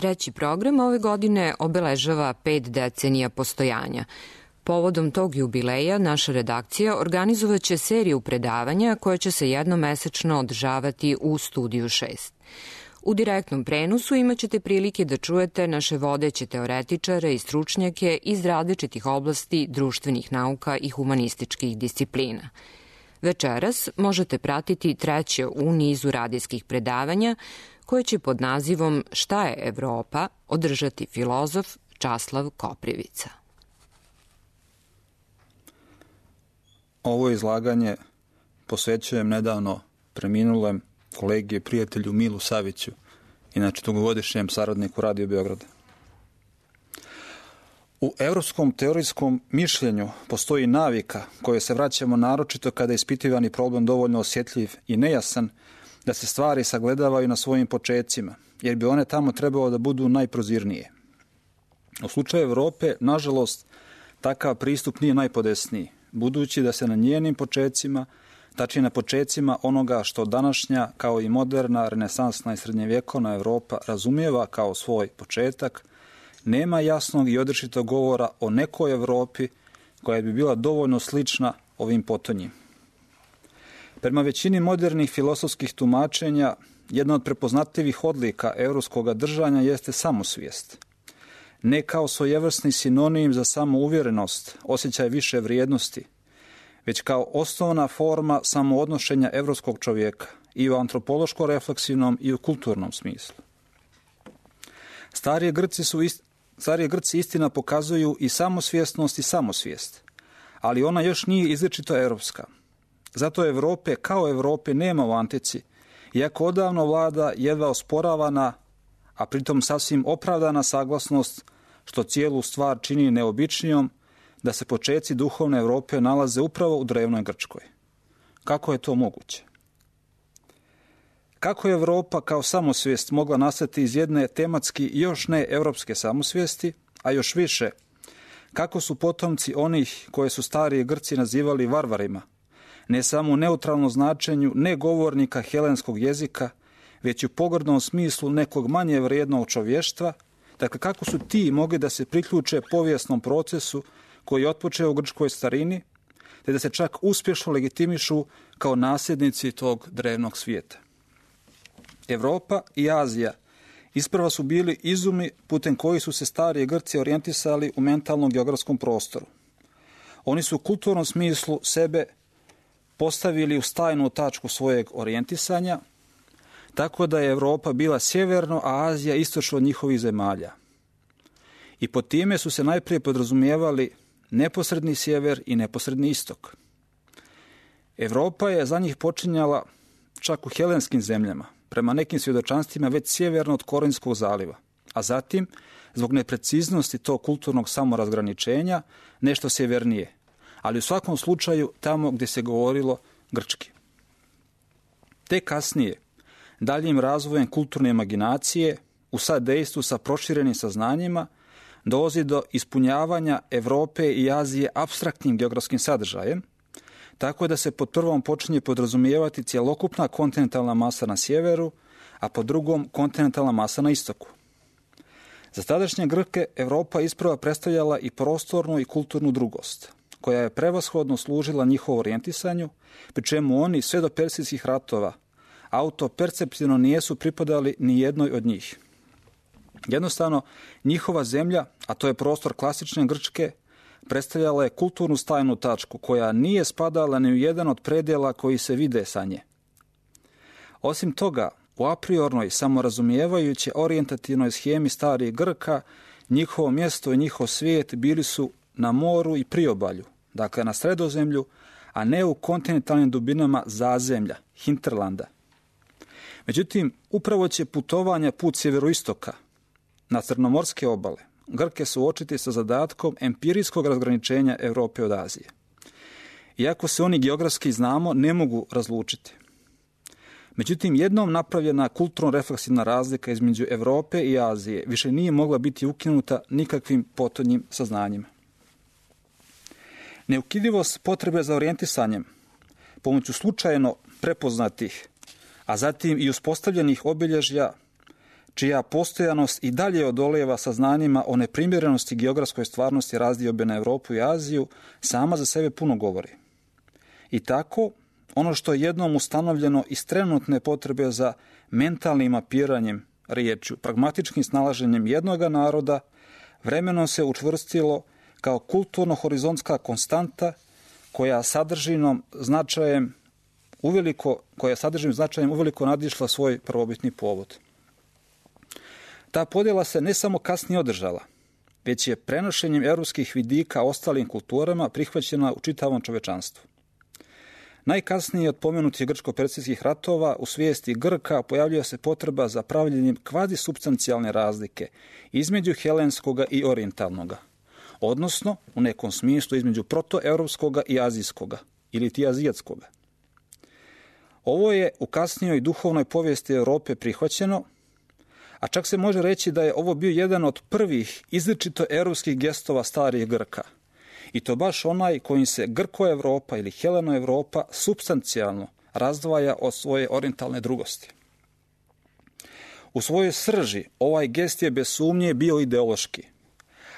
treći program ove godine obeležava 5 decenija postojanja. Povodom tog jubileja naša redakcija organizovaće seriju predavanja koja će se jednomesečno održavati u Studiju 6. U direktnom prenosu imaćete prilike da čujete naše vodeće teoretičare i stručnjake iz različitih oblasti društvenih nauka i humanističkih disciplina. Večeras možete pratiti treće u nizu radijskih predavanja koje će pod nazivom Šta je Evropa održati filozof Časlav Koprivica. Ovo izlaganje posvećujem nedavno preminulem kolegi i prijatelju Milu Saviću, inače dugogodišnjem saradniku Radio Beograda. U evropskom teorijskom mišljenju postoji navika koje se vraćamo naročito kada je ispitivani problem dovoljno osjetljiv i nejasan da se stvari sagledavaju na svojim počecima, jer bi one tamo trebalo da budu najprozirnije. U slučaju Evrope, nažalost, takav pristup nije najpodesniji, budući da se na njenim počecima, tačnije na počecima onoga što današnja, kao i moderna, renesansna i srednjevjekovna Evropa razumijeva kao svoj početak, nema jasnog i odrečitog govora o nekoj Evropi koja bi bila dovoljno slična ovim potonjim. Prema većini modernih filosofskih tumačenja, jedna od prepoznatljivih odlika evropskog držanja jeste samosvijest. Ne kao svojevrsni sinonim za samouvjerenost, osjećaj više vrijednosti, već kao osnovna forma samoodnošenja evropskog čovjeka i u antropološko-refleksivnom i u kulturnom smislu. Starije Grci istina pokazuju i samosvjesnost i samosvijest, ali ona još nije izričito evropska. Zato Evrope kao Evrope nema u antici, iako odavno vlada jedva osporavana, a pritom sasvim opravdana saglasnost, što cijelu stvar čini neobičnijom, da se počeci duhovne Evrope nalaze upravo u drevnoj Grčkoj. Kako je to moguće? Kako je Evropa kao samosvijest mogla nastati iz jedne tematski još ne evropske samosvijesti, a još više, kako su potomci onih koje su stariji Grci nazivali varvarima, ne samo u neutralnom značenju ne govornika helenskog jezika, već u pogrdnom smislu nekog manje vrijednog čovještva, dakle kako su ti mogli da se priključe povijesnom procesu koji je otpočeo u grčkoj starini, te da se čak uspješno legitimišu kao nasljednici tog drevnog svijeta. Evropa i Azija isprva su bili izumi putem koji su se stariji Grci orijentisali u mentalnom geografskom prostoru. Oni su u kulturnom smislu sebe postavili u stajnu tačku svojeg orijentisanja, tako da je Evropa bila sjeverno, a Azija istočno od njihovih zemalja. I pod time su se najprije podrazumijevali neposredni sjever i neposredni istok. Evropa je za njih počinjala čak u helenskim zemljama, prema nekim svjedočanstvima već sjeverno od Korinskog zaliva, a zatim, zbog nepreciznosti tog kulturnog samorazgraničenja, nešto sjevernije, ali u svakom slučaju tamo gdje se govorilo grčki. Te kasnije, daljim razvojem kulturne imaginacije, u sadejstvu sa proširenim saznanjima, dolazi do ispunjavanja Evrope i Azije apstraktnim geografskim sadržajem, tako da se pod prvom počinje podrazumijevati cjelokupna kontinentalna masa na sjeveru, a pod drugom kontinentalna masa na istoku. Za tadašnje Grke Evropa isprva predstavljala i prostornu i kulturnu drugost, koja je prevashodno služila njihovu orijentisanju, pri čemu oni sve do persijskih ratova autoperceptivno nijesu pripadali ni jednoj od njih. Jednostavno, njihova zemlja, a to je prostor klasične Grčke, predstavljala je kulturnu stajnu tačku koja nije spadala ni u jedan od predjela koji se vide sa nje. Osim toga, u apriornoj, samorazumijevajuće orijentativnoj schemi starih Grka, njihovo mjesto i njihov svijet bili su na moru i priobalju, dakle na Sredozemlju, a ne u kontinentalnim dubinama zazemlja, hinterlanda. Međutim, upravo će putovanja put sjeveroistoka na crnomorske obale Grke suočiti sa zadatkom empirijskog razgraničenja Europe od Azije. Iako se oni geografski znamo, ne mogu razlučiti. Međutim, jednom napravljena kulturno-refleksivna razlika između Europe i Azije više nije mogla biti ukinuta nikakvim potonjim saznanjima. Neukidivost potrebe za orijentisanjem pomoću slučajno prepoznatih, a zatim i uspostavljenih obilježja čija postojanost i dalje odolijeva saznanjima o neprimjerenosti geografskoj stvarnosti razdiobe na Europu i Aziju, sama za sebe puno govori. I tako, ono što je jednom ustanovljeno iz trenutne potrebe za mentalnim mapiranjem riječju, pragmatičkim snalaženjem jednoga naroda, vremenom se učvrstilo kao kulturno-horizontska konstanta koja sadržinom značajem uveliko nadišla svoj prvobitni povod. Ta podjela se ne samo kasnije održala, već je prenošenjem europskih vidika ostalim kulturama prihvaćena u čitavom čovečanstvu. Najkasnije od pomenutih grčko-persijskih ratova u svijesti Grka pojavljuje se potreba za pravljenjem kvazisupstancijalne razlike između helenskoga i orijentalnoga, odnosno u nekom smislu između protoeuropskoga i azijskoga ili ti azijatskoga. Ovo je u kasnijoj duhovnoj povijesti Europe prihvaćeno, a čak se može reći da je ovo bio jedan od prvih izričito europskih gestova starih Grka. I to baš onaj kojim se Grko-Europa ili Heleno-Europa supstancijalno razdvaja od svoje orijentalne drugosti. U svojoj srži ovaj gest je bez sumnje bio ideološki,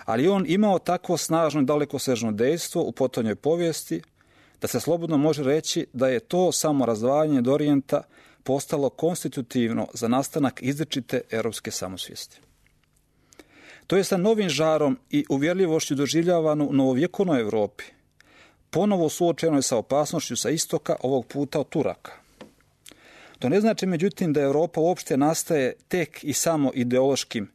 ali on imao takvo snažno i dalekosežno dejstvo u potonjoj povijesti da se slobodno može reći da je to samo razdvajanje od orijenta postalo konstitutivno za nastanak izričite europske samosvijesti. To je sa novim žarom i uvjerljivošću doživljavano u novovjekovnoj Europi, ponovo suočeno je sa opasnošću sa istoka, ovog puta od Turaka. To ne znači, međutim, da Europa uopšte nastaje tek i samo ideološkim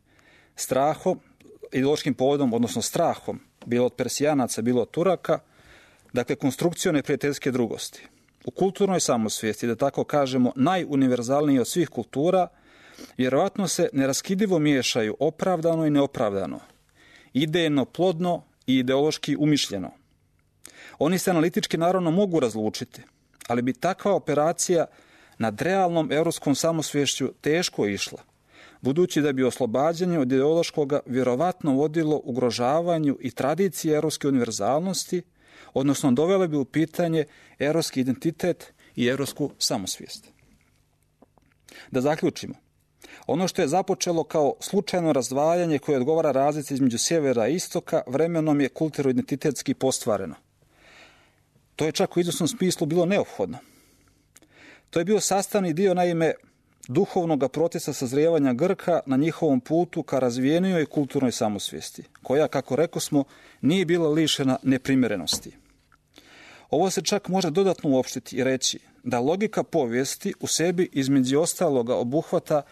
povodom, odnosno strahom, bilo od Persijanaca, bilo od Turaka, dakle konstrukcijom neprijateljske drugosti. U kulturnoj samosvijesti, da tako kažemo, najuniverzalniji od svih kultura, vjerovatno se neraskidivo miješaju opravdano i neopravdano, idejno plodno i ideološki umišljeno. Oni se analitički naravno mogu razlučiti, ali bi takva operacija nad realnom europskom samosviješću teško išla, budući da bi oslobađanje od ideološkoga vjerovatno vodilo ugrožavanju i tradicije europske univerzalnosti, odnosno dovele bi u pitanje europski identitet i europsku samosvijest. Da zaključimo. Ono što je započelo kao slučajno razdvajanje koje odgovara razlici između sjevera i istoka, vremenom je kulturno-identitetski postvareno. To je čak u izvjesnom smislu bilo neophodno. To je bio sastavni dio, naime, duhovnog procesa sazrijevanja Grka na njihovom putu ka razvijenijoj kulturnoj samosvijesti, koja, kako rekosmo, nije bila lišena neprimjerenosti. Ovo se čak može dodatno uopštiti i reći da logika povijesti u sebi između ostaloga obuhvata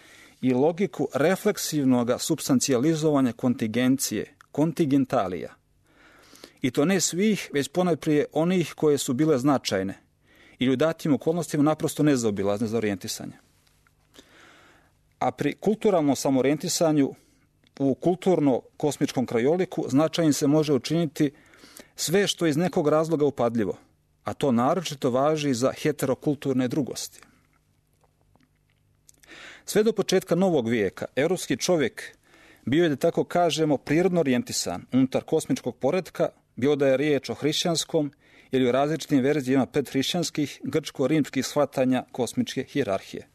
i logiku refleksivnog supstancijalizovanja kontingencije, kontingentalija. I to ne svih, već ponajprije onih koje su bile značajne ili u datim okolnostima naprosto nezaobilazne za orijentisanje. A pri kulturalnom samorijentisanju u kulturno-kosmičkom krajoliku značajnim se može učiniti sve što je iz nekog razloga upadljivo, a to naročito važi za heterokulturne drugosti. Sve do početka novog vijeka, europski čovjek bio je, da tako kažemo, prirodno orijentisan unutar kosmičkog poretka, bilo da je riječ o hrišćanskom ili o različitim verzijama predhrišćanskih grčko-rimskih shvatanja kosmičke hijerarhije.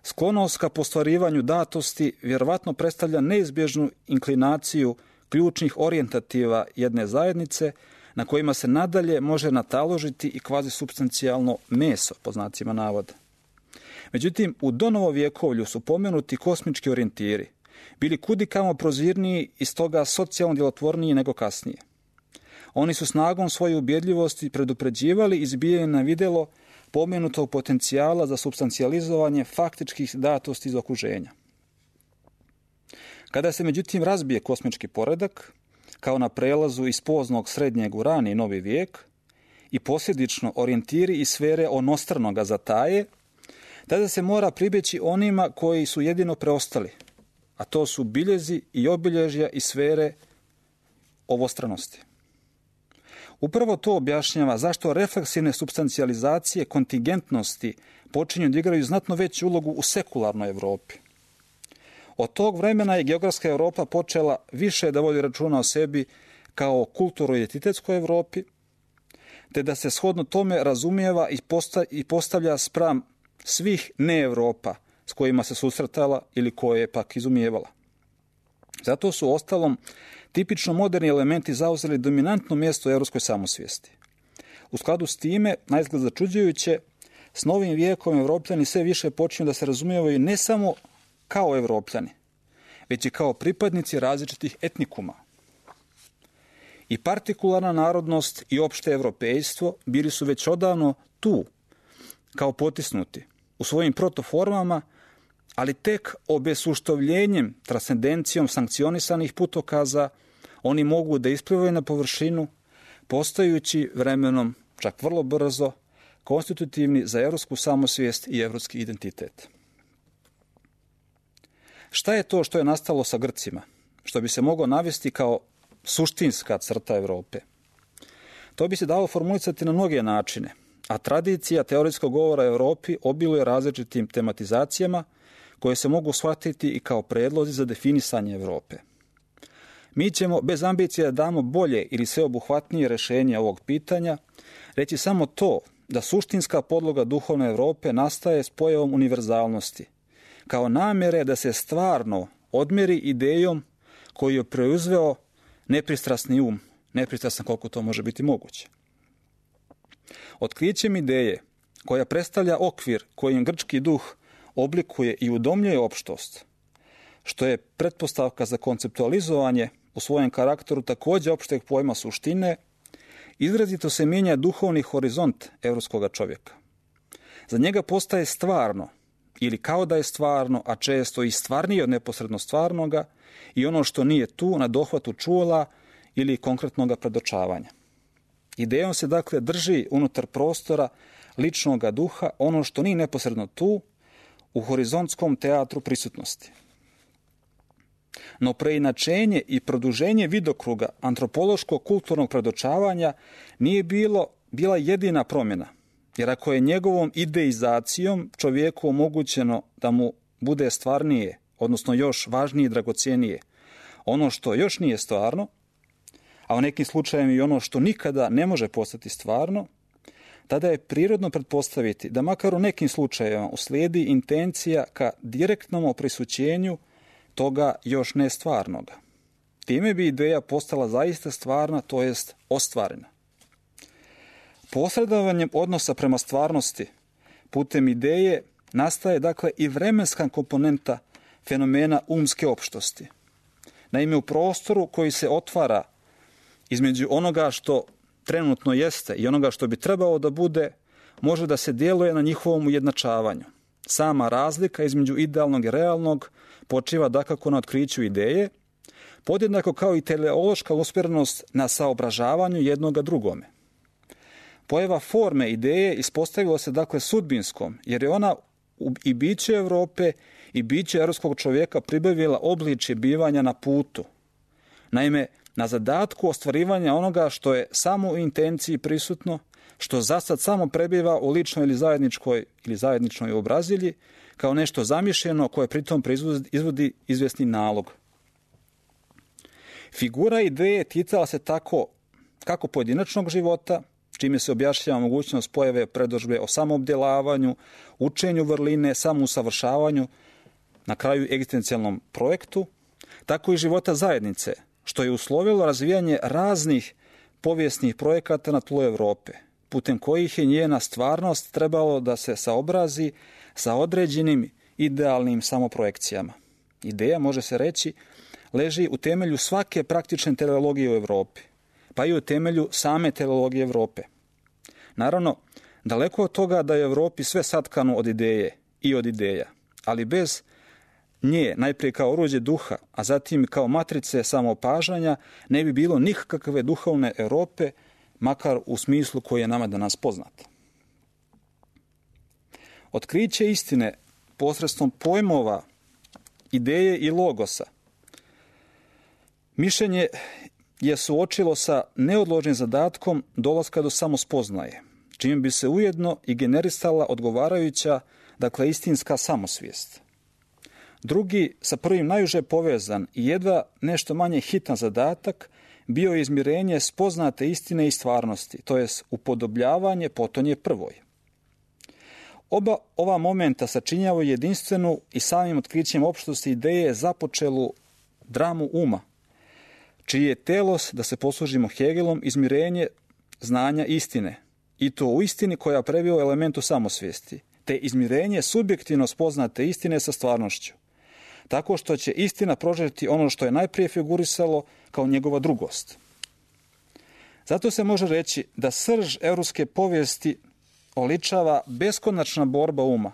Sklonost ka postvarivanju datosti vjerovatno predstavlja neizbježnu inklinaciju ključnih orijentativa jedne zajednice na kojima se nadalje može nataložiti i kvazisupstancijalno meso, po znacima navoda. Međutim, u donovovjekovlju su pomenuti kosmički orijentiri bili kudikamo prozirniji i stoga socijalno djelotvorniji nego kasnije. Oni su snagom svoje ubjedljivosti predupređivali izbijanje na vidjelo pomenutog potencijala za supstancijalizovanje faktičkih datosti iz okruženja. Kada se međutim razbije kosmički poredak, kao na prelazu iz poznog srednjeg u rani novi vijek, i posljedično orijentiri iz sfere onostranoga zataje, tada se mora pribjeći onima koji su jedino preostali, a to su biljezi i obilježja iz sfere ovostranosti. Upravo to objašnjava zašto refleksivne supstancijalizacije kontingentnosti počinju da igraju znatno veću ulogu u sekularnoj Europi. Od tog vremena je geografska Europa počela više da vodi računa o sebi kao kulturno-identitetskoj Europi, te da se shodno tome razumijeva i postavlja spram svih ne Europa s kojima se susretala ili koje je pak izumijevala. Zato su ostalom tipično moderni elementi zauzeli dominantno mjesto u europskoj samosvijesti. U skladu s time, naizgled začuđujuće, s novim vijekom Evropljani sve više počinju da se razumijevaju ne samo kao Evropljani, već i kao pripadnici različitih etnikuma. I partikularna narodnost i opšte evropejstvo bili su već odavno tu, kao potisnuti, u svojim protoformama, ali tek obesuštovljenjem, transcendencijom sankcionisanih putokaza, oni mogu da isplivaju na površinu, postajući vremenom, čak vrlo brzo, konstitutivni za evropsku samosvijest i evropski identitet. Šta je to što je nastalo sa Grcima, što bi se moglo navesti kao suštinska crta Evrope? To bi se dalo formulisati na mnoge načine, a tradicija teoretskog govora o Evropi obiluje različitim tematizacijama koje se mogu shvatiti i kao predlozi za definisanje Evrope. Mi ćemo, bez ambicije da damo bolje ili sveobuhvatnije rješenje ovog pitanja, reći samo to da suštinska podloga duhovne Evrope nastaje s pojavom univerzalnosti, kao namjere da se stvarno odmeri idejom koju je preuzeo nepristrasni um, nepristrasan koliko to može biti moguće. Otkrićem ideje koja predstavlja okvir kojim grčki duh oblikuje i udomljuje opštost, što je pretpostavka za konceptualizovanje u svojem karakteru također opšteg pojma suštine, izrazito se mijenja duhovni horizont evropskog čovjeka. Za njega postaje stvarno, ili kao da je stvarno, a često i stvarnije od neposredno stvarnoga, i ono što nije tu na dohvatu čula ili konkretnog predočavanja. Idejom se dakle drži unutar prostora ličnog duha ono što nije neposredno tu, u horizontskom teatru prisutnosti. No preinačenje i produženje vidokruga antropološkog kulturnog predočavanja nije bila jedina promjena, jer ako je njegovom ideizacijom čovjeku omogućeno da mu bude stvarnije, odnosno još važnije i dragocjenije, ono što još nije stvarno, a u nekim slučajevima i ono što nikada ne može postati stvarno, tada je prirodno pretpostaviti da makar u nekim slučajevima uslijedi intencija ka direktnom oprisućenju toga još ne stvarnoga. Time bi ideja postala zaista stvarna, to jest ostvarena. Posredovanjem odnosa prema stvarnosti putem ideje nastaje dakle i vremenska komponenta fenomena umske opštosti. Naime, u prostoru koji se otvara između onoga što trenutno jeste i onoga što bi trebalo da bude, može da se djeluje na njihovom ujednačavanju. Sama razlika između idealnog i realnog počiva dakako na otkriću ideje, podjednako kao i teleološka usmjerenost na saobražavanju jednoga drugome. Pojava forme ideje ispostavila se dakle sudbinskom, jer je ona i biće Evrope i biće europskog čovjeka pribavila obličje bivanja na putu. Naime, na zadatku ostvarivanja onoga što je samo u intenciji prisutno, što zasad samo prebiva u ličnoj ili zajedničnoj obrazilji, kao nešto zamišljeno koje pritom izvodi izvjesni nalog. Figura ideje ticala se tako kako pojedinačnog života, čime se objašnjava mogućnost pojave predodžbe o samoobdjelavanju, učenju vrline, samousavršavanju, na kraju egzistencijalnom projektu, tako i života zajednice, što je uslovilo razvijanje raznih povijesnih projekata na tlu Evrope, putem kojih je njena stvarnost trebalo da se saobrazi sa određenim idealnim samoprojekcijama. Ideja, može se reći, leži u temelju svake praktične teleologije u Evropi, pa i u temelju same teleologije Evrope. Naravno, daleko od toga da je u Evropi sve satkano od ideje i od ideja, ali bez nje, najprije kao oruđe duha, a zatim kao matrice samoopažanja, ne bi bilo nikakve duhovne Europe, makar u smislu koji je nama danas poznat. Otkriće istine posredstvom pojmova, ideje i logosa, mišljenje je suočilo sa neodloženim zadatkom dolaska do samospoznaje, čime bi se ujedno i generisala odgovarajuća, dakle istinska samosvijest. Drugi, sa prvim najuže povezan i jedva nešto manje hitan zadatak, bio je izmirenje spoznate istine i stvarnosti, to jest upodobljavanje potonje prvoj. Oba ova momenta sačinjavaju jedinstvenu i samim otkrićem opštosti ideje započelu dramu uma, čiji je telos, da se poslužimo Hegelom, izmirenje znanja istine, i to u istini koja prebio elementu samosvijesti, te izmirenje subjektivno spoznate istine sa stvarnošću, tako što će istina prožeti ono što je najprije figurisalo kao njegova drugost. Zato se može reći da srž europske povijesti oličava beskonačna borba uma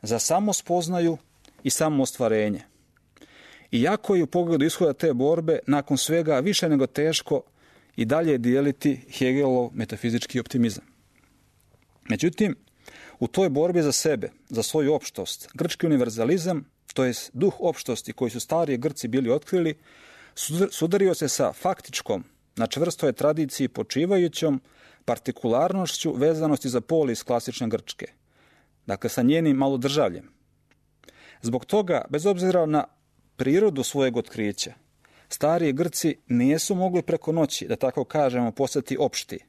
za samospoznaju i samoostvarenje. Iako je u pogledu ishoda te borbe nakon svega više nego teško i dalje dijeliti Hegelov metafizički optimizam. Međutim, u toj borbi za sebe, za svoju opštost, grčki univerzalizam, to jest duh opštosti koji su stariji Grci bili otkrili, sudario se sa faktičkom, na čvrstoj tradiciji počivajućom partikularnošću vezanosti za polis klasične Grčke, dakle sa njenim malodržavljem. Zbog toga, bez obzira na prirodu svojeg otkrića, stariji Grci nisu mogli preko noći, da tako kažemo, postati opšti.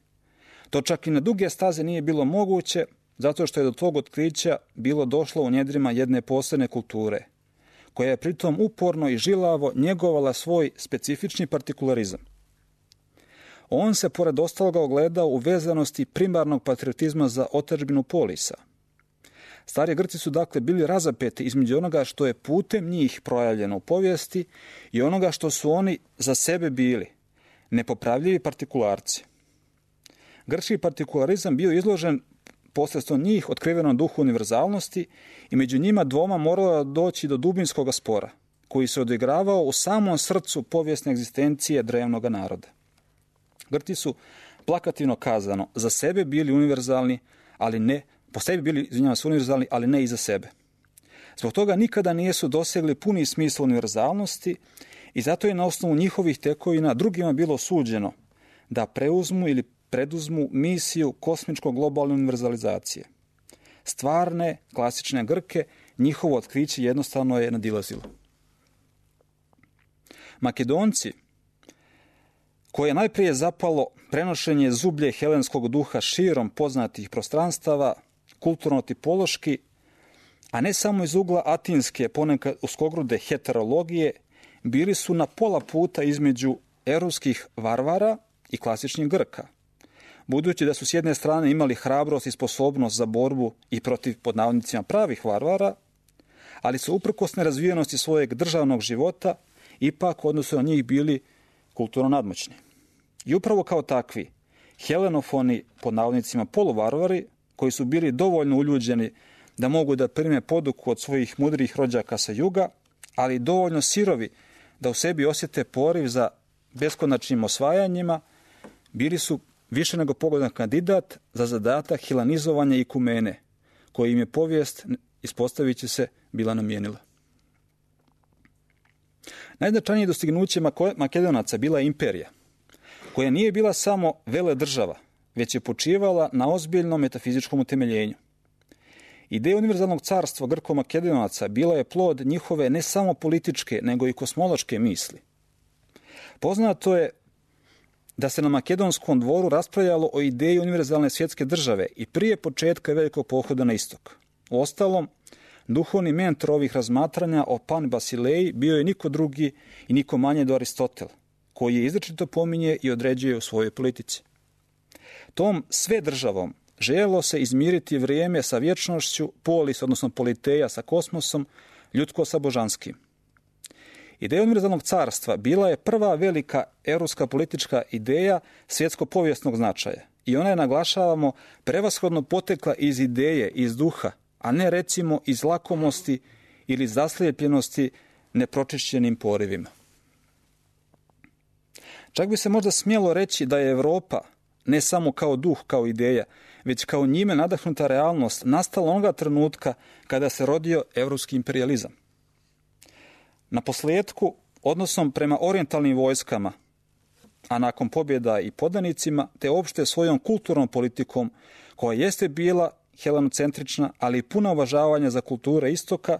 To čak i na duge staze nije bilo moguće, zato što je do tog otkrića bilo došlo u njedrima jedne posebne kulture, koja je pritom uporno i žilavo njegovala svoj specifični partikularizam. On se, pored ostaloga, ogledao u vezanosti primarnog patriotizma za otadžbinu polisa. Stari Grci su dakle bili razapeti između onoga što je putem njih projavljeno u povijesti i onoga što su oni za sebe bili, nepopravljivi partikularci. Grčki partikularizam bio izložen posredstvom njih otkrivenom duhu univerzalnosti i među njima dvoma moralo doći do dubinskog spora, koji se odigravao u samom srcu povijesne egzistencije drevnog naroda. Grci su, plakativno kazano, za sebe bili univerzalni, ali ne, po sebi bili, univerzalni, ali ne i za sebe. Zbog toga nikada nisu dosegli puni smisla univerzalnosti i zato je na osnovu njihovih tekovina drugima bilo suđeno da preuzmu ili preduzmu misiju kosmičko-globalne univerzalizacije. Stvarne, klasične Grke, njihovo otkriće jednostavno je nadilazilo. Makedonci, koje je najprije zapalo prenošenje zublje helenskog duha širom poznatih prostranstava, kulturno-tipološki, a ne samo iz ugla atinske, ponekad uskogrude heterologije, bili su na pola puta između europskih varvara i klasičnih Grka, budući da su s jedne strane imali hrabrost i sposobnost za borbu i protiv, pod navodnicima, pravih varvara, ali su uprkos nerazvijenosti svojeg državnog života ipak u odnosu na njih bili kulturno nadmoćni. I upravo kao takvi, helenofoni, pod navodnicima, poluvarvari, koji su bili dovoljno uljuđeni da mogu da prime poduku od svojih mudrih rođaka sa juga, ali dovoljno sirovi da u sebi osjete poriv za beskonačnim osvajanjima, bili su više nego pogodan kandidat za zadatak helenizovanja ikumene, koji im je povijest, ispostavit će se, bila namijenila. Najznačajnije dostignuće Makedonaca bila je imperija, koja nije bila samo veledržava, već je počivala na ozbiljnom metafizičkom utemeljenju. Ideja univerzalnog carstva Grko-Makedonaca bila je plod njihove ne samo političke, nego i kosmološke misli. Poznato je da se na makedonskom dvoru raspravljalo o ideji univerzalne svjetske države i prije početka velikog pohoda na istok. Uostalom, duhovni mentor ovih razmatranja o Pan Basileji bio je niko drugi i niko manje do Aristotel, koji je izričito pominje i određuje u svojoj politici. Tom sve državom željelo se izmiriti vrijeme sa vječnošću, polis, odnosno politeja sa kosmosom, ljudsko sa božanskim. Ideja univerzalnog carstva bila je prva velika europska politička ideja svjetsko-povijesnog značaja i ona je, naglašavamo, prevashodno potekla iz ideje, iz duha, a ne recimo iz lakomosti ili zaslijepljenosti nepročišćenim porivima. Čak bi se možda smjelo reći da je Europa, ne samo kao duh, kao ideja, već kao njime nadahnuta realnost, nastala onoga trenutka kada se rodio europski imperijalizam. Na posljedku, odnosom prema orijentalnim vojskama, a nakon pobjeda i podanicima, te opšte svojom kulturnom politikom, koja jeste bila helenocentrična, ali i puna uvažavanja za kulture istoka,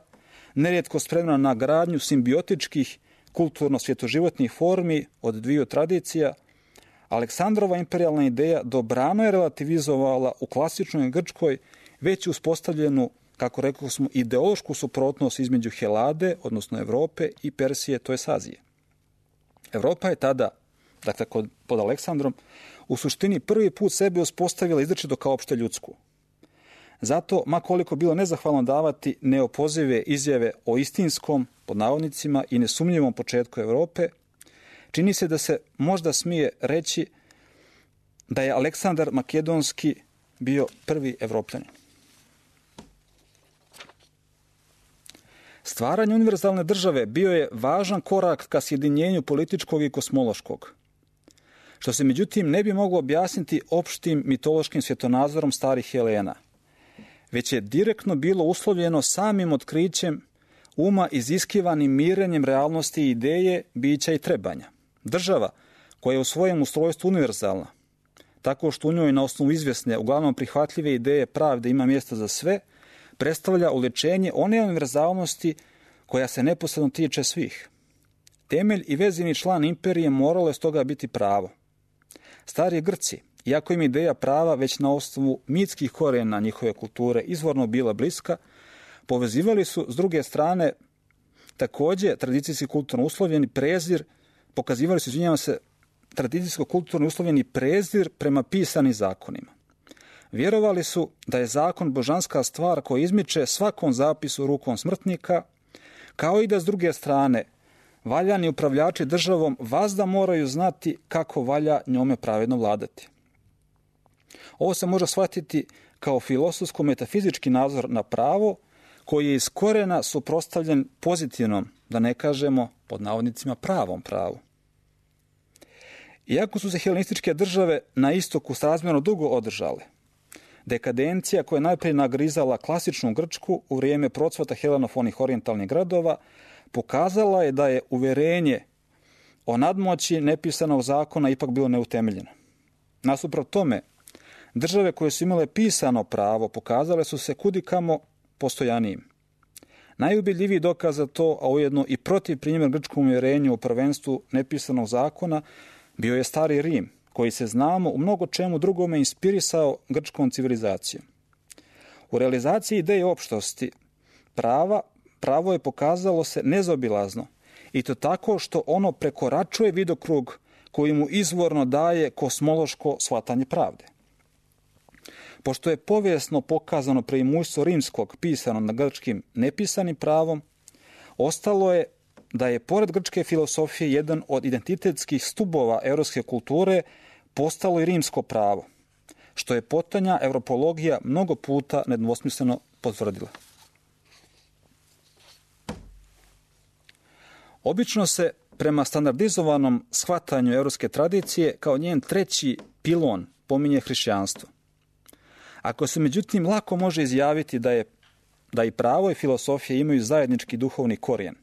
nerijetko spremna na gradnju simbiotičkih kulturno-svjetoživotnih formi od dviju tradicija, Aleksandrova imperijalna ideja dobrano je relativizovala u klasičnoj Grčkoj već uspostavljenu, kako rekao smo, ideološku suprotnost između Helade, odnosno Evrope, i Persije, to je Azije. Evropa je tada, dakle pod Aleksandrom, u suštini prvi put sebe uspostavila izričito kao opšte ljudsku. Zato, ma koliko bilo nezahvalno davati neopozive izjave o istinskom, pod navodnicima, i nesumnjivom početku Evrope, čini se da se možda smije reći da je Aleksandar Makedonski bio prvi Evropljanin. Stvaranje univerzalne države bio je važan korak ka sjedinjenju političkog i kosmološkog, što se međutim ne bi moglo objasniti opštim mitološkim svjetonazorom starih Helena, već je direktno bilo uslovljeno samim otkrićem uma iziskivanim mirenjem realnosti i ideje, bića i trebanja. Država koja je u svojem ustrojstvu univerzalna, tako što u njoj na osnovu izvjesne, uglavnom prihvatljive ideje pravde ima mjesta za sve, predstavlja ulečenje one univerzalnosti koja se neposredno tiče svih. Temelj i vezivni član imperije moralo je stoga biti pravo. Stari Grci, iako im ideja prava već na osnovu mitskih korijena njihove kulture izvorno bila bliska, povezivali su s druge strane također tradicijski kulturno uslovljeni prezir, pokazivali su, tradicijsko-kulturno uslovljeni prezir prema pisanim zakonima. Vjerovali su da je zakon božanska stvar koja izmiče svakom zapisu rukom smrtnika, kao i da s druge strane valjani upravljači državom vazda moraju znati kako valja njome pravedno vladati. Ovo se može shvatiti kao filosofsko-metafizički nadzor na pravo koji je iz korena suprotstavljen pozitivnom, da ne kažemo pod navodnicima pravom pravu. Iako su se helenističke države na istoku srazmjerno dugo održale, dekadencija koja je najprije nagrizala klasičnu Grčku u vrijeme procvata helenofonih orijentalnih gradova pokazala je da je uverenje o nadmoći nepisanog zakona ipak bilo neutemeljeno. Nasuprot tome, države koje su imale pisano pravo pokazale su se kudikamo postojanijim. Najubjedljiviji dokaz za to, a ujedno i protiv primjer grčkom uvjerenju o prvenstvu nepisanog zakona, bio je Stari Rim, koji se, znamo, u mnogo čemu drugome inspirisao grčkom civilizacijom. U realizaciji ideje opštosti pravo je pokazalo se nezaobilazno, i to tako što ono prekoračuje vidokrug koji mu izvorno daje kosmološko shvatanje pravde. Pošto je povijesno pokazano preimujstvo rimskog pisano na grčkim nepisanim pravom, ostalo je da je pored grčke filosofije jedan od identitetskih stubova europske kulture postalo i rimsko pravo, što je potonja evropologija mnogo puta nedvosmisleno potvrdila. Obično se prema standardizovanom shvatanju europske tradicije kao njen treći pilon pominje hrišćanstvo. Ako se međutim lako može izjaviti da i pravo i filosofija imaju zajednički duhovni korijen,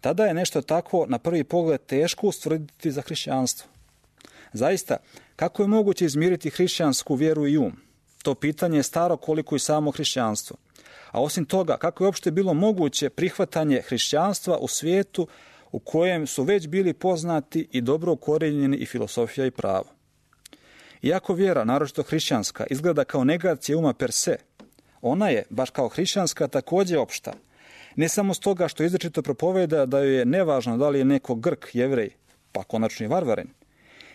tada je nešto takvo na prvi pogled teško ustvrditi za hrišćanstvo. Zaista, kako je moguće izmiriti hrišćansku vjeru i um? To pitanje je staro koliko i samo hrišćanstvo. A osim toga, kako je uopšte bilo moguće prihvatanje hrišćanstva u svijetu u kojem su već bili poznati i dobro ukorijenjeni i filosofija i pravo? Iako vjera, naročito hrišćanska, izgleda kao negacija uma per se, ona je, baš kao hrišćanska, također opšta. Ne samo stoga što izričito propoveda da joj je nevažno da li je neko Grk, Jevrej, pa konačno i varvarin,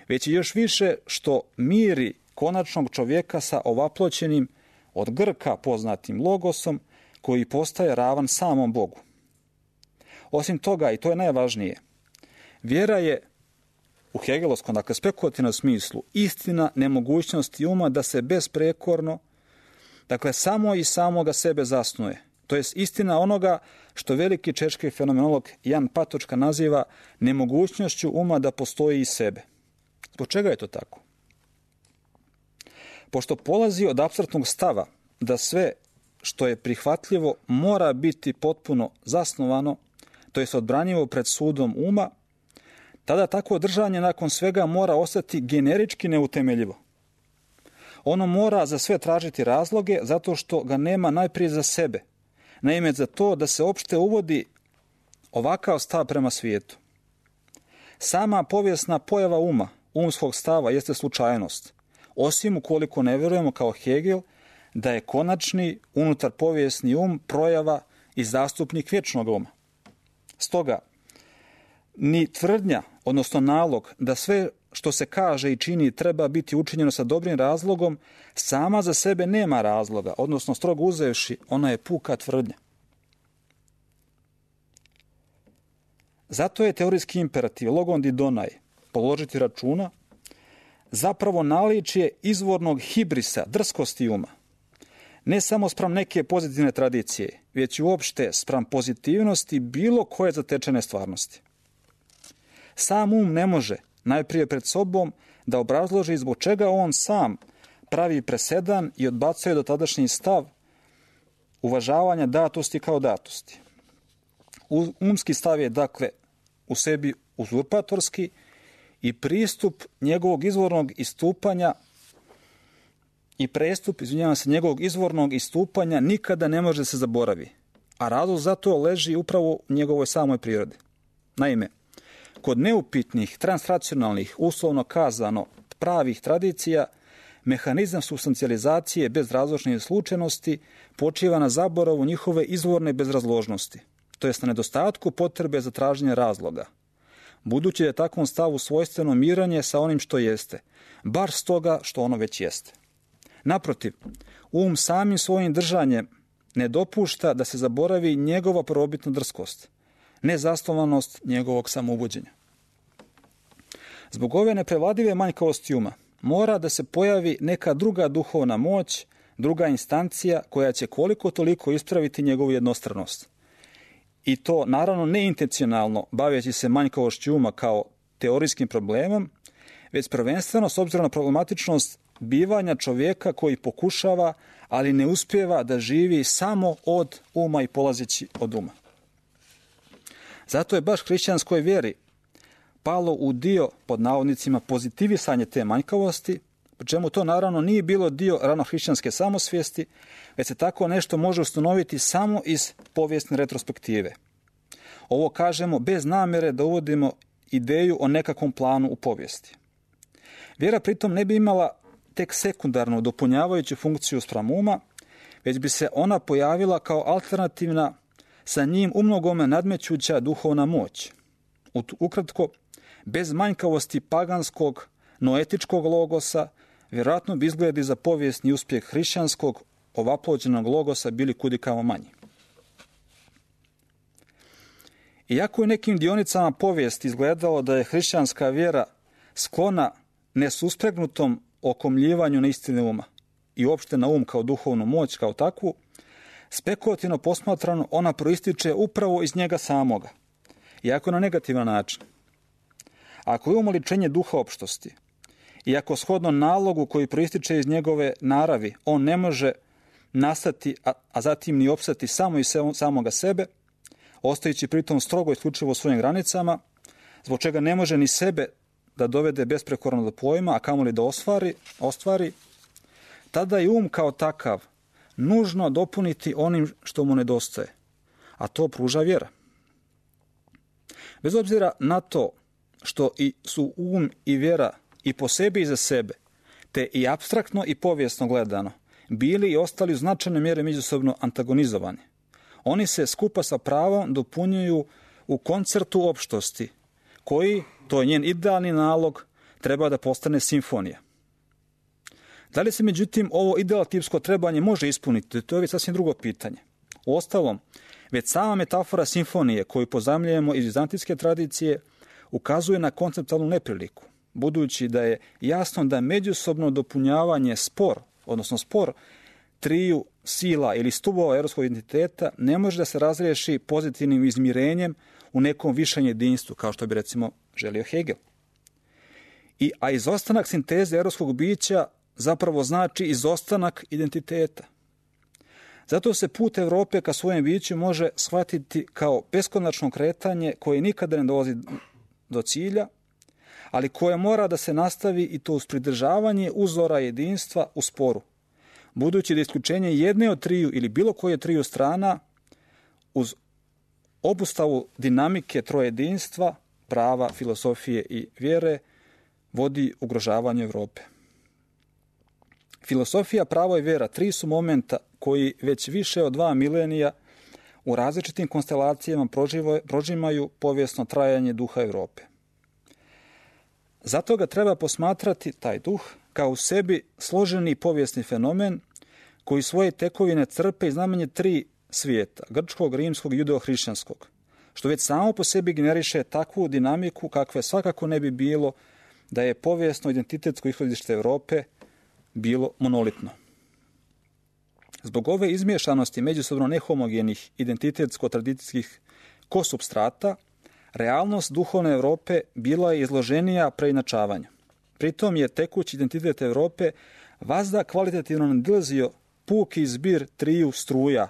već i još više što miri konačnog čovjeka sa ovaploćenim od Grka poznatim logosom koji postaje ravan samom Bogu. Osim toga, i to je najvažnije, vjera je u hegelovskom, dakle spekulativnom smislu, istina nemogućnosti uma da se besprekorno, dakle samo i samoga sebe zasnuje. To jest istina onoga što veliki češki fenomenolog Jan Patočka naziva nemogućnošću uma da postoji iz sebe. Zbog čega je to tako? Pošto polazi od apstraktnog stava da sve što je prihvatljivo mora biti potpuno zasnovano, to jest odbranjivo pred sudom uma, tada takvo držanje nakon svega mora ostati generički neutemeljivo. Ono mora za sve tražiti razloge zato što ga nema najprije za sebe. Naime, za to da se opšte uvodi ovakav stav prema svijetu. Sama povijesna pojava umskog stava jeste slučajnost, osim ukoliko ne vjerujemo kao Hegel da je konačni unutar povijesni um projava i zastupnik vječnog uma. Stoga, ni tvrdnja, odnosno nalog da sve što se kaže i čini treba biti učinjeno sa dobrim razlogom, sama za sebe nema razloga, odnosno strogo uzevši, ona je puka tvrdnja. Zato je teorijski imperativ logon didonai, položiti računa, zapravo naličje izvornog hibrisa, drskosti uma. Ne samo spram neke pozitivne tradicije, već i uopšte spram pozitivnosti bilo koje zatečene stvarnosti. Sam um ne može, najprije pred sobom, da obrazloži zbog čega on sam pravi presedan i odbacuje dotadašnji stav uvažavanja datosti kao datosti. Umski stav je, dakle, u sebi uzurpatorski i pristup njegovog izvornog istupanja i prestup, njegovog izvornog istupanja nikada ne može se zaboravi, a razlog za to leži upravo u njegovoj samoj prirodi. Naime, kod neupitnih, transracionalnih, uslovno kazano, pravih tradicija, mehanizam supstancijalizacije bez razložne slučajnosti počiva na zaboravu njihove izvorne bezrazložnosti, to jest na nedostatku potrebe za traženje razloga, budući da je takvom stavu svojstveno miranje sa onim što jeste, bar stoga što ono već jeste. Naprotiv, um samim svojim držanjem ne dopušta da se zaboravi njegova prvobitna drskost, nezasnovanost njegovog samouvođenja. Zbog ove neprevladive manjkavosti uma mora da se pojavi neka druga duhovna moć, druga instancija koja će koliko toliko ispraviti njegovu jednostranost. I to naravno neintencionalno baveći se manjkavošću uma kao teorijskim problemom, već prvenstveno s obzirom na problematičnost bivanja čovjeka koji pokušava, ali ne uspijeva da živi samo od uma i polazeći od uma. Zato je baš hrišćanskoj vjeri palo u dio, pod navodnicima, pozitivisanje te manjkavosti, pri čemu to naravno nije bilo dio ranohrišćanske samosvijesti, već se tako nešto može ustanoviti samo iz povijesne retrospektive. Ovo kažemo bez namjere da uvodimo ideju o nekakvom planu u povijesti. Vjera pritom ne bi imala tek sekundarnu dopunjavajuću funkciju spram uma, već bi se ona pojavila kao alternativna, sa njim umnogome nadmećuća duhovna moć. Ukratko, bez manjkavosti paganskog, noetičkog logosa, vjerojatno bi izgledi za povijesni uspjeh hrišćanskog, ovaplođenog logosa bili kudikamo manji. Iako je nekim dionicama povijesti izgledalo da je hrišćanska vjera sklona nesuspregnutom okomljivanju na istine uma i uopšte na um kao duhovnu moć kao takvu, spekulativno posmatrano ona proističe upravo iz njega samoga, iako na negativan način. Ako je um oličenje duha opštosti, i ako shodno nalogu koji proističe iz njegove naravi, on ne može nastati, a zatim ni opstati samo iz samoga sebe, ostajući pritom strogo isključivo u svojim granicama, zbog čega ne može ni sebe da dovede besprekorno do pojma, a kamoli da ostvari, tada je um kao takav nužno dopuniti onim što mu nedostaje, a to pruža vjera. Bez obzira na to što su um i vjera i po sebi i za sebe, te i apstraktno i povijesno gledano, bili i ostali u značajnoj mjeri međusobno antagonizovani. Oni se skupa sa pravom dopunjuju u koncertu opštosti, koji, to je njen idealni nalog, treba da postane simfonija. Da li se međutim ovo idealtipsko trebanje može ispuniti, to je već sasvim drugo pitanje. Uostalom, već sama metafora simfonije koju pozajmljujemo iz vizantijske tradicije ukazuje na konceptualnu nepriliku, budući da je jasno da međusobno dopunjavanje spor triju sila ili stubova europskog identiteta ne može da se razriješi pozitivnim izmirenjem u nekom višem jedinstvu, kao što bi recimo želio Hegel. A izostanak sinteze europskog bića zapravo znači izostanak identiteta. Zato se put Europe ka svojem biću može shvatiti kao beskonačno kretanje koje nikada ne dolazi do cilja, ali koje mora da se nastavi i to uz pridržavanje uzora jedinstva u sporu, budući da isključenje jedne od triju ili bilo koje triju strana uz obustavu dinamike trojedinstva, prava, filosofije i vjere vodi ugrožavanju Europe. Filosofija, pravo i vjera, tri su momenta koji već više od 2 milenija u različitim konstelacijama prožimaju povijesno trajanje duha Europe. Zato ga treba posmatrati, taj duh, kao u sebi složeni povijesni fenomen koji svoje tekovine crpe iz najmanje 3 svijeta, grčkog, rimskog i judeo-hrišćanskog, što već samo po sebi generiše takvu dinamiku kakve svakako ne bi bilo da je povijesno identitetsko ishodište Europe bilo monolitno. Zbog ove izmiješanosti međusobno nehomogenih identitetsko-tradicijskih kosupstrata, realnost duhovne Europe bila je izloženija preinačavanju. Pritom je tekući identitet Europe vazda kvalitativno nadilazio puki zbir triju struja,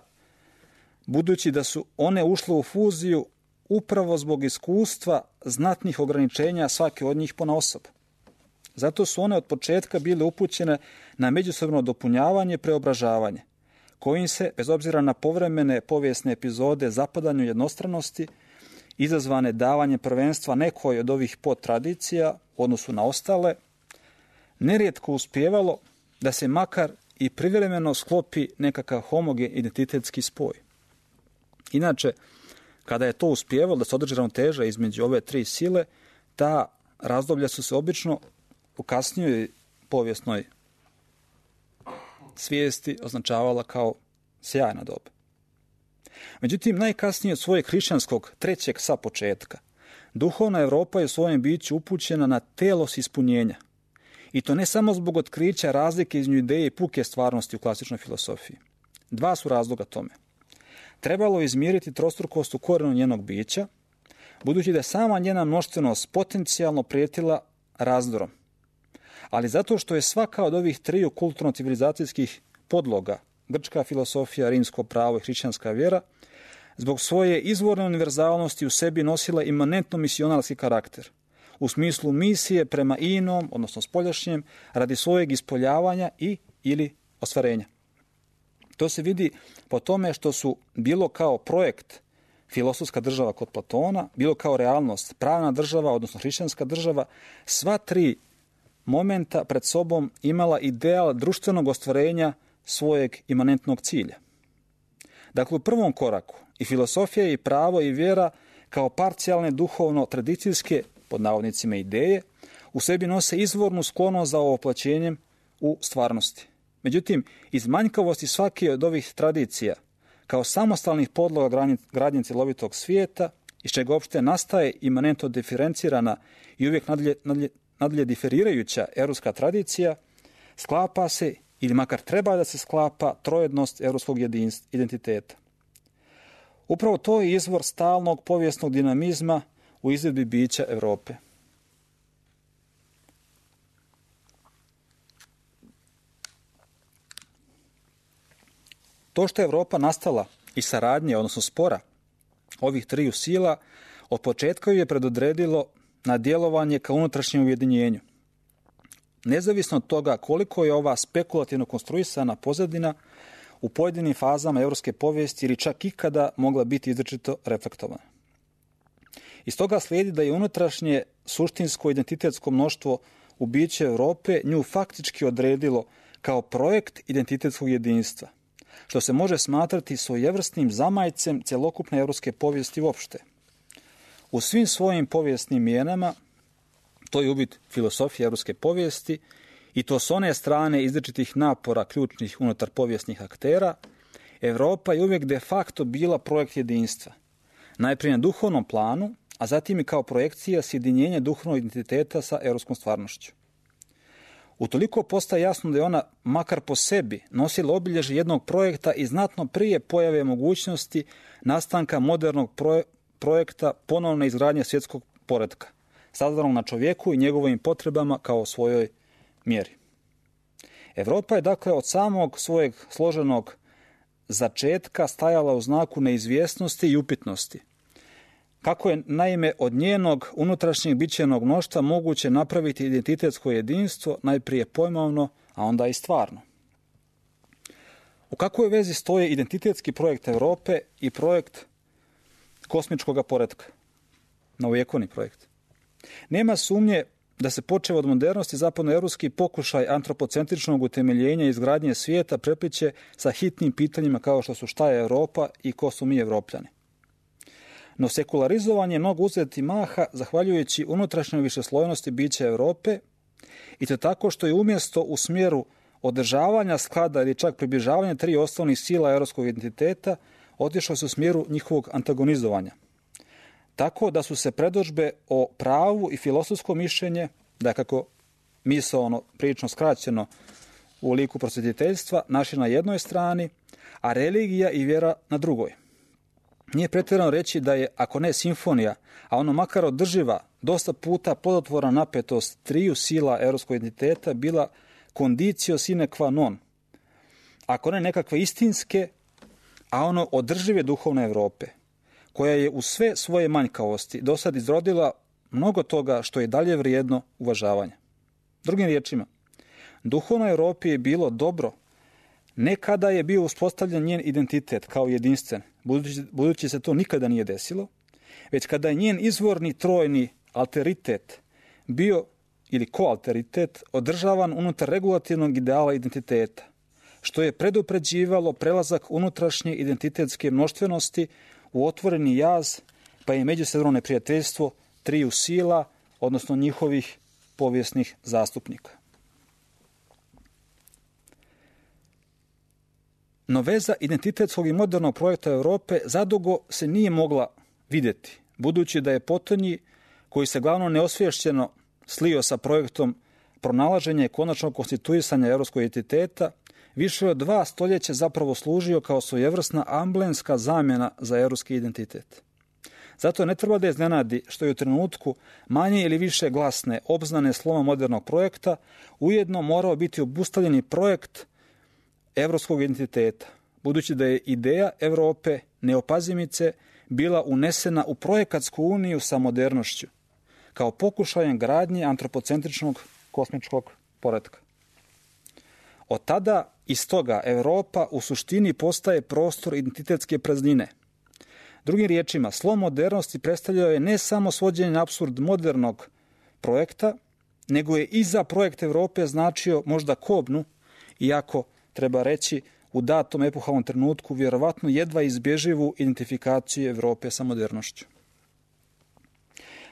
budući da su one ušle u fuziju upravo zbog iskustva znatnih ograničenja svake od njih ponaosob. Zato su one od početka bile upućene na međusobno dopunjavanje, preobražavanje, kojim se, bez obzira na povremene povijesne epizode zapadanju jednostranosti, izazvane davanjem prvenstva nekoj od ovih podtradicija u odnosu na ostale, nerijetko uspijevalo da se makar i privremeno sklopi nekakav homogen identitetski spoj. Inače, kada je to uspijevalo da se održi ravnoteža između ove 3 sile, ta razdoblja su se obično u kasnijoj povijesnoj svijesti označavala kao sjajna doba. Međutim, najkasnije od svojeg hrišćanskog trećeg sa početka, duhovna Europa je u svojem biću upućena na telos ispunjenja. I to ne samo zbog otkrića razlike između ideje i puke stvarnosti u klasičnoj filosofiji. 2 su razloga tome. Trebalo je izmiriti trostrukost u korenu njenog bića, budući da je sama njena mnoštvenost potencijalno prijetila razdorom. Ali zato što je svaka od ovih 3 kulturno-civilizacijskih podloga, grčka filosofija, rimsko pravo i hrišćanska vjera, zbog svoje izvorne univerzalnosti u sebi nosila imanentno misionarski karakter, u smislu misije prema inom, odnosno spoljašnjem, radi svojeg ispoljavanja i ili ostvarenja. To se vidi po tome što su bilo kao projekt filosofska država kod Platona, bilo kao realnost pravna država, odnosno hrišćanska država, sva 3 momenta pred sobom imala ideal društvenog ostvarenja svojeg imanentnog cilja. Dakle, u prvom koraku i filosofija i pravo i vjera kao parcijalne duhovno-tradicijske, pod navodnicima, ideje, u sebi nose izvornu sklonost za ovoplaćenjem u stvarnosti. Međutim, iz manjkavosti svake od ovih tradicija, kao samostalnih podloga gradnje cjelovitog svijeta, iz čega uopšte nastaje imanentno diferencirana i uvijek nadalje diferirajuća europska tradicija, sklapa se, ili makar treba da se sklapa, trojednost europskog identiteta. Upravo to je izvor stalnog povijesnog dinamizma u izvedbi bića Europe. To što je Europa nastala iz saradnje, odnosno spora ovih 3 sila, od početka ju je predodredilo na djelovanje ka unutrašnjem ujedinjenju. Nezavisno od toga koliko je ova spekulativno konstruisana pozadina u pojedinim fazama europske povijesti ili čak ikada mogla biti izričito reflektovana. Iz toga slijedi da je unutrašnje suštinsko identitetsko mnoštvo u biće Europe nju faktički odredilo kao projekt identitetskog jedinstva, što se može smatrati svojevrsnim zamajcem cjelokupne europske povijesti uopšte. U svim svojim povijesnim mijenama, to je ubit filosofije europske povijesti, i to s one strane izričitih napora ključnih unutar povijesnih aktera, Europa je uvijek de facto bila projekt jedinstva. Najprije na duhovnom planu, a zatim i kao projekcija sjedinjenja duhovnog identiteta sa europskom stvarnošću. Utoliko postaje jasno da je ona, makar po sebi, nosila obilježje jednog projekta i znatno prije pojave mogućnosti nastanka modernog projekta ponovne izgradnje svjetskog poretka, sazdanog na čovjeku i njegovim potrebama kao svojoj mjeri. Europa je dakle od samog svojeg složenog začetka stajala u znaku neizvjesnosti i upitnosti. Kako je naime od njenog unutrašnjeg bićenog mnoštva moguće napraviti identitetsko jedinstvo, najprije pojmovno, a onda i stvarno. U kakvoj vezi stoje identitetski projekt Europe i projekt kosmičkog poretka, novovjekovni projekt? Nema sumnje da se počev od modernosti zapadnoevropski pokušaj antropocentričnog utemeljenja i izgradnje svijeta prepliće sa hitnim pitanjima kao što su šta je Europa i ko su mi Evropljani. No sekularizovanje mogu uzeti maha zahvaljujući unutrašnjoj višeslojnosti bića Europe i to tako što je umjesto u smjeru održavanja sklada ili čak približavanja tri osnovnih sila europskog identiteta otišlo se u smjeru njihovog antagonizovanja. Tako da su se predodžbe o pravu i filosofsko mišljenje, da kako misaono prilično skraćeno u liku prosvjetiteljstva, našli na jednoj strani, a religija i vjera na drugoj. Nije pretjerano reći da je, ako ne simfonija, a ono makar održiva, dosta puta plodotvorna napetost triju sila europskog identiteta bila condicio sine qua non, ako ne nekakve istinske, a ono održive duhovne Europe, koja je u sve svoje manjkavosti do sad izrodila mnogo toga što je dalje vrijedno uvažavanja. Drugim riječima, duhovnoj Europi je bilo dobro ne kada je bio uspostavljen njen identitet kao jedinstven, budući se to nikada nije desilo, već kada je njen izvorni trojni alteritet bio ili koalteritet održavan unutar regulativnog ideala identiteta, što je predupređivalo prelazak unutrašnje identitetske mnoštvenosti u otvoreni jaz, pa i međusobno neprijateljstvo triju sila, odnosno njihovih povijesnih zastupnika. No veza identitetskog i modernog projekta Europe zadugo se nije mogla vidjeti, budući da je potonji, koji se glavno neosvješćeno slio sa projektom pronalaženja i konačnog konstituisanja europskog identiteta, više od 2 stoljeća zapravo služio kao svojevrsna amblemska zamjena za europski identitet. Zato ne treba da iznenadi što je u trenutku manje ili više glasne obznane sloma modernog projekta ujedno morao biti obustavljeni projekt europskog identiteta, budući da je ideja Europe neopazimice bila unesena u projekatsku uniju sa modernošću, kao pokušajem gradnje antropocentričnog kosmičkog poretka. Od tada iz toga Europa u suštini postaje prostor identitetske praznine. Drugim riječima, slom modernosti predstavljao je ne samo svođenje na apsurd modernog projekta, nego je i za projekt Europe značio možda kobnu, iako treba reći u datom epohalnom trenutku vjerovatno jedva izbježivu identifikaciju Europe sa modernošću.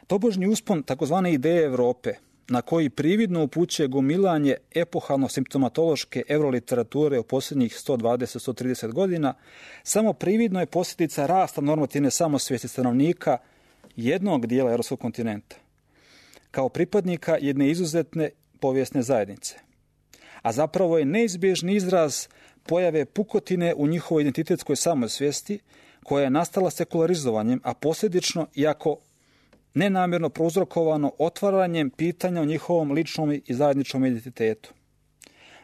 Tobožnji uspon takozvane ideje Europe, na koji prividno upućuje gomilanje epohalno-simptomatološke euroliterature u posljednjih 120-130 godina, samo prividno je posljedica rasta normativne samosvijesti stanovnika jednog dijela europskog kontinenta, kao pripadnika jedne izuzetne povijesne zajednice. A zapravo je neizbježni izraz pojave pukotine u njihovoj identitetskoj samosvijesti, koja je nastala sekularizovanjem, a posljedično, iako nenamjerno prouzrokovano otvaranjem pitanja o njihovom ličnom i zajedničkom identitetu.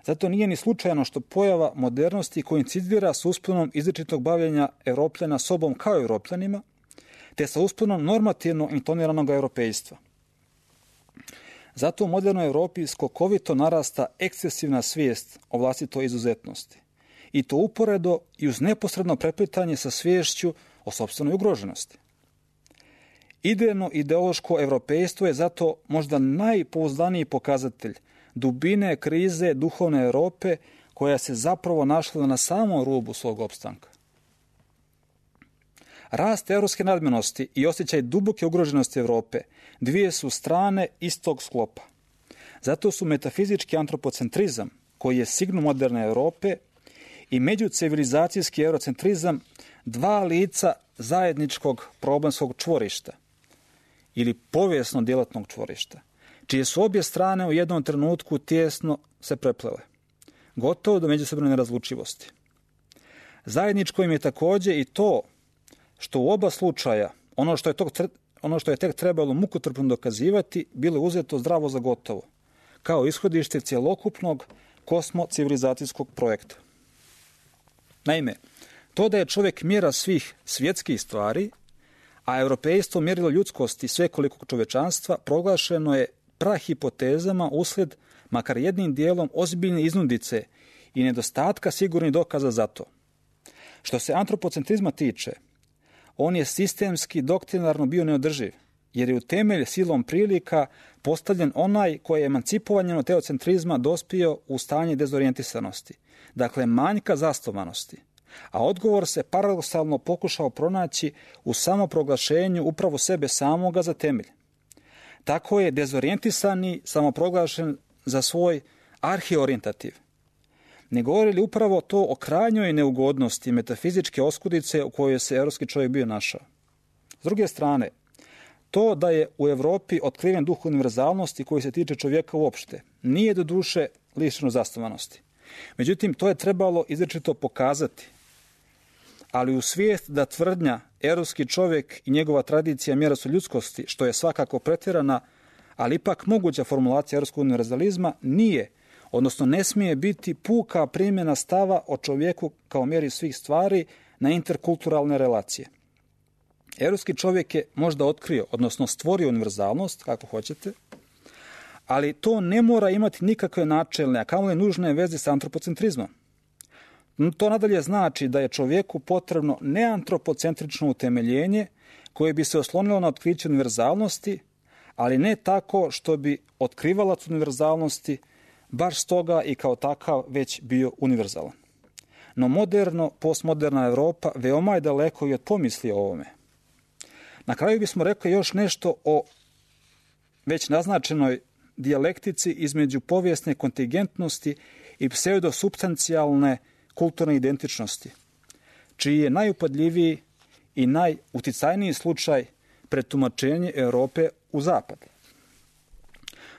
Zato nije ni slučajno što pojava modernosti koincidira s usponom izričitog bavljenja Europljana sobom kao Europljanima, te sa usponom normativno intoniranog europejstva. Zato u modernoj Europi skokovito narasta ekscesivna svijest o vlastitoj izuzetnosti. I to uporedo i uz neposredno preplitanje sa sviješću o sopstvenoj ugroženosti. Idejno ideološko europejstvo je zato možda najpouzdaniji pokazatelj dubine krize duhovne Europe koja se zapravo našla na samom rubu svog opstanka. Rast europske nadmenosti i osjećaj duboke ugroženosti Europe dvije su strane istog sklopa. Zato su metafizički antropocentrizam, koji je signum moderne Europe, i međucivilizacijski eurocentrizam dva lica zajedničkog problemskog čvorišta ili povijesno djelatnog čvorišta, čije su obje strane u jednom trenutku tijesno se preplele, gotovo do međusobne nerazlučivosti. Zajedničko im je također i to što u oba slučaja ono što je tek trebalo mukotrpno dokazivati bilo uzeto zdravo za gotovo, kao ishodište cjelokupnog kosmocivilizacijskog projekta. Naime, to da je čovjek mjera svih svjetskih stvari, a europejstvo mjerilo ljudskosti svekolikog čovječanstva, proglašeno je prahipotezama uslijed, makar jednim dijelom, ozbiljne iznudice i nedostatka sigurnih dokaza za to. Što se antropocentrizma tiče, on je sistemski doktrinarno bio neodrživ, jer je u temelj silom prilika postavljen onaj koji je emancipovanjem od teocentrizma dospio u stanje dezorijentisanosti, dakle manjka zasnovanosti, a odgovor se paradoksalno pokušao pronaći u samoproglašenju upravo sebe samoga za temelj. Tako je dezorijentisani samoproglašen za svoj arhiorijentativ. Ne govori li upravo to o krajnjoj neugodnosti metafizičke oskudice u kojoj se evropski čovjek bio našao? S druge strane, to da je u Evropi otkriven duh univerzalnosti koji se tiče čovjeka uopšte, nije do duše lišeno zasnovanosti. Međutim, to je trebalo izričito pokazati. Ali u svijest da tvrdnja evropski čovjek i njegova tradicija mjera su ljudskosti, što je svakako pretjerana, ali ipak moguća formulacija evropskog univerzalizma, nije, odnosno ne smije biti puka primjena stava o čovjeku kao mjeri svih stvari na interkulturalne relacije. Evropski čovjek je možda otkrio, odnosno stvorio univerzalnost, kako hoćete, ali to ne mora imati nikakve načelne, a kamoli nužne veze sa antropocentrizmom. To nadalje znači da je čovjeku potrebno neantropocentrično utemeljenje koje bi se oslonilo na otkriće univerzalnosti, ali ne tako što bi otkrivalac univerzalnosti baš stoga i kao takav već bio univerzalan. No postmoderna Europa veoma je daleko i od pomisli o ovome. Na kraju bismo rekli još nešto o već naznačenoj dijalektici između povijesne kontingentnosti i pseudosubstancijalne kulturne identičnosti, čiji je najupadljiviji i najuticajniji slučaj pretumačenje Europe u zapad.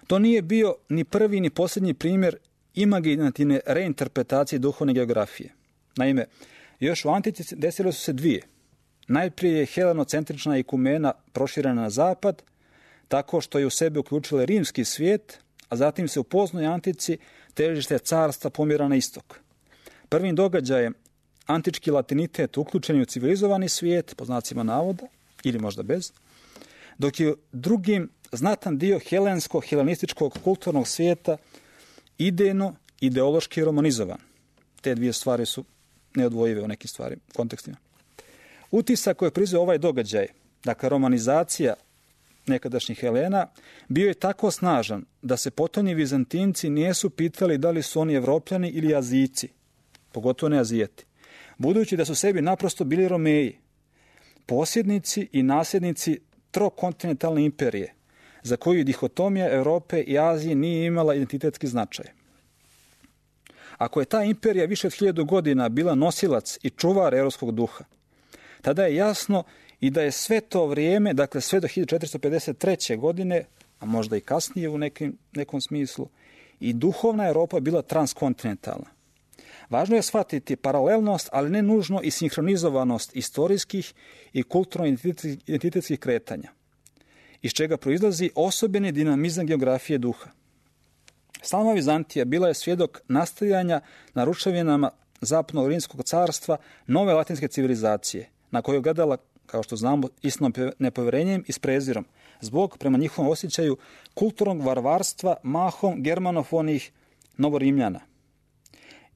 To nije bio ni prvi ni posljednji primjer imaginativne reinterpretacije duhovne geografije. Naime, još u antici desile su se dvije. Najprije je helenocentrična ikumena proširena na zapad, tako što je u sebe uključila rimski svijet, a zatim se u poznoj antici težište carstva pomjera na istok. Prvim događajem antički latinitet uključen u civilizovani svijet, po znacima navoda, ili možda bez, dok je drugim znatan dio helensko-helenističkog kulturnog svijeta idejno, ideološki romanizovan. Te dvije stvari su neodvojive u nekim stvari, kontekstima. Utisak koji je proizveo ovaj događaj, dakle romanizacija nekadašnjih Helena, bio je tako snažan da se potonji Vizantinci nisu pitali da li su oni Evropljani ili Azijci, pogotovo ne Azijeti, budući da su sebi naprosto bili Romeji, posjednici i nasljednici trokontinentalne imperije, za koju dihotomija Europe i Azije nije imala identitetski značaj. Ako je ta imperija više od 1000 godina bila nosilac i čuvar europskog duha, tada je jasno i da je sve to vrijeme, dakle sve do 1453. godine, a možda i kasnije u nekom smislu, i duhovna Europa bila transkontinentalna. Važno je shvatiti paralelnost, ali ne nužno i sinhronizovanost istorijskih i kulturno-identitetskih kretanja, iz čega proizlazi osobeni dinamizam geografije duha. Sama Vizantija bila je svjedok nastajanja na ruševinama zapadnog rimskog carstva nove latinske civilizacije, na koju je gledala, kao što znamo, istinom nepovjerenjem i s prezirom, zbog, prema njihovom osjećaju, kulturnog varvarstva mahom germanofonih novorimljana.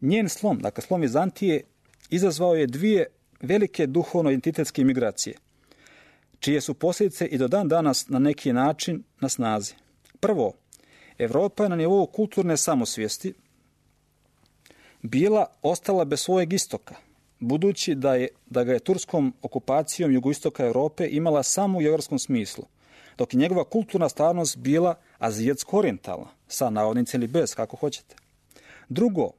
Njen slom, dakle slom Vizantije, izazvao je dvije velike duhovno-identitetske migracije, čije su posljedice i do dan danas na neki način na snazi. Prvo, Evropa je na nivou kulturne samosvijesti ostala bez svojeg istoka, budući da ga je turskom okupacijom jugoistoka Europe imala samo u geografskom smislu, dok je njegova kulturna stvarnost bila azijatsko-orijentalna, sa navodnicima ili bez, kako hoćete. Drugo,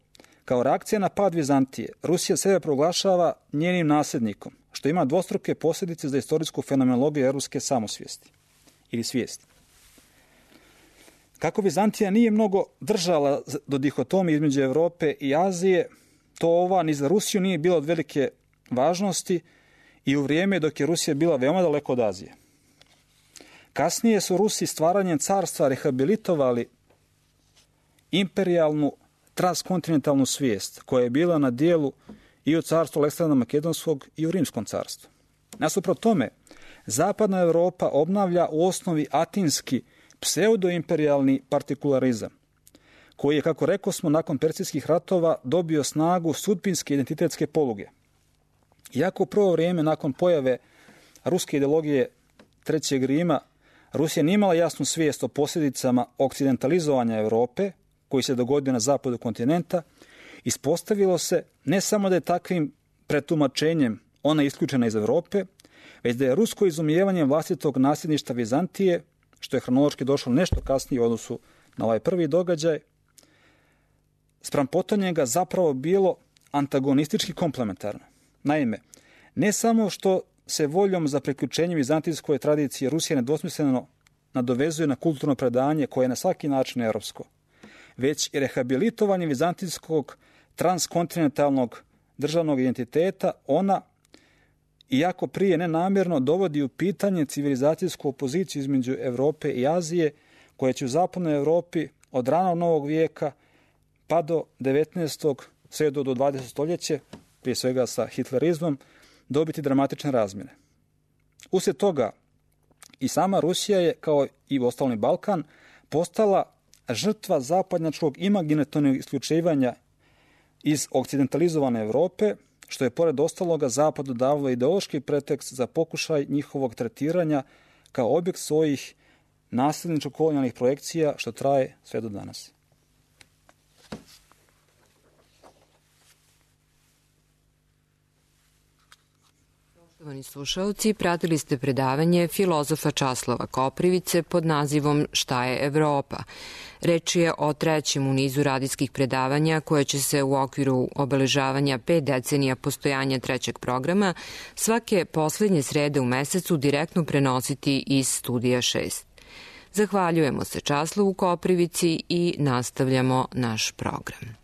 kao reakcija na pad Vizantije, Rusija sebe proglašava njenim nasljednikom, što ima dvostruke posljedice za istorijsku fenomenologiju europske samosvijesti ili svijesti. Kako Vizantija nije mnogo držala do dihotomije između Europe i Azije, to ova ni za Rusiju nije bila od velike važnosti i u vrijeme dok je Rusija bila veoma daleko od Azije. Kasnije su Rusi stvaranjem carstva rehabilitovali imperijalnu transkontinentalnu svijest koja je bila na dijelu i u carstvu Aleksandra Makedonskog i u Rimskom carstvu. Nasuprot tome, zapadna Europa obnavlja u osnovi atinski pseudoimperijalni partikularizam, koji je, kako rekosmo, nakon Persijskih ratova dobio snagu sudbinske identitetske poluge. Iako u prvo vrijeme nakon pojave ruske ideologije Trećeg Rima Rusija nije imala jasnu svijest o posljedicama okcidentalizovanja Europe, koji se dogodio na zapadu kontinenta, ispostavilo se ne samo da je takvim pretumačenjem ona isključena iz Europe, već da je rusko izumijevanje vlastitog nasljedništva Vizantije, što je hronološki došlo nešto kasnije u odnosu na ovaj prvi događaj, spram potonjega zapravo bilo antagonistički komplementarno. Naime, ne samo što se voljom za priključenje vizantijskoj tradiciji Rusija nedvosmisleno nadovezuje na kulturno predanje koje je na svaki način europsko, već i rehabilitovanje vizantijskog transkontinentalnog državnog identiteta, ona, iako prije nenamjerno, dovodi u pitanje civilizacijsku opoziciju između Europe i Azije, koja će u zapadnoj Europi od ranog novog vijeka pa do 19. sve do 20. stoljeće, prije svega sa hitlerizmom, dobiti dramatične razmjene. Uslijed toga i sama Rusija je, kao i ostalni Balkan, postala žrtva zapadnjačkog imaginatornog isključivanja iz okcidentalizovane Europe, što je pored ostaloga zapadu davalo ideološki pretekst za pokušaj njihovog tretiranja kao objekt svojih nasljedničko-kolonijalnih projekcija, što traje sve do danas. Poštovani slušalci, pratili ste predavanje filozofa Časlava Koprivice pod nazivom Šta je Evropa? Reč je o trećem u nizu radijskih predavanja koje će se u okviru obeležavanja 5 decenija postojanja trećeg programa svake poslednje srede u mesecu direktno prenositi iz Studija 6. Zahvaljujemo se Časlavu Koprivici i nastavljamo naš program.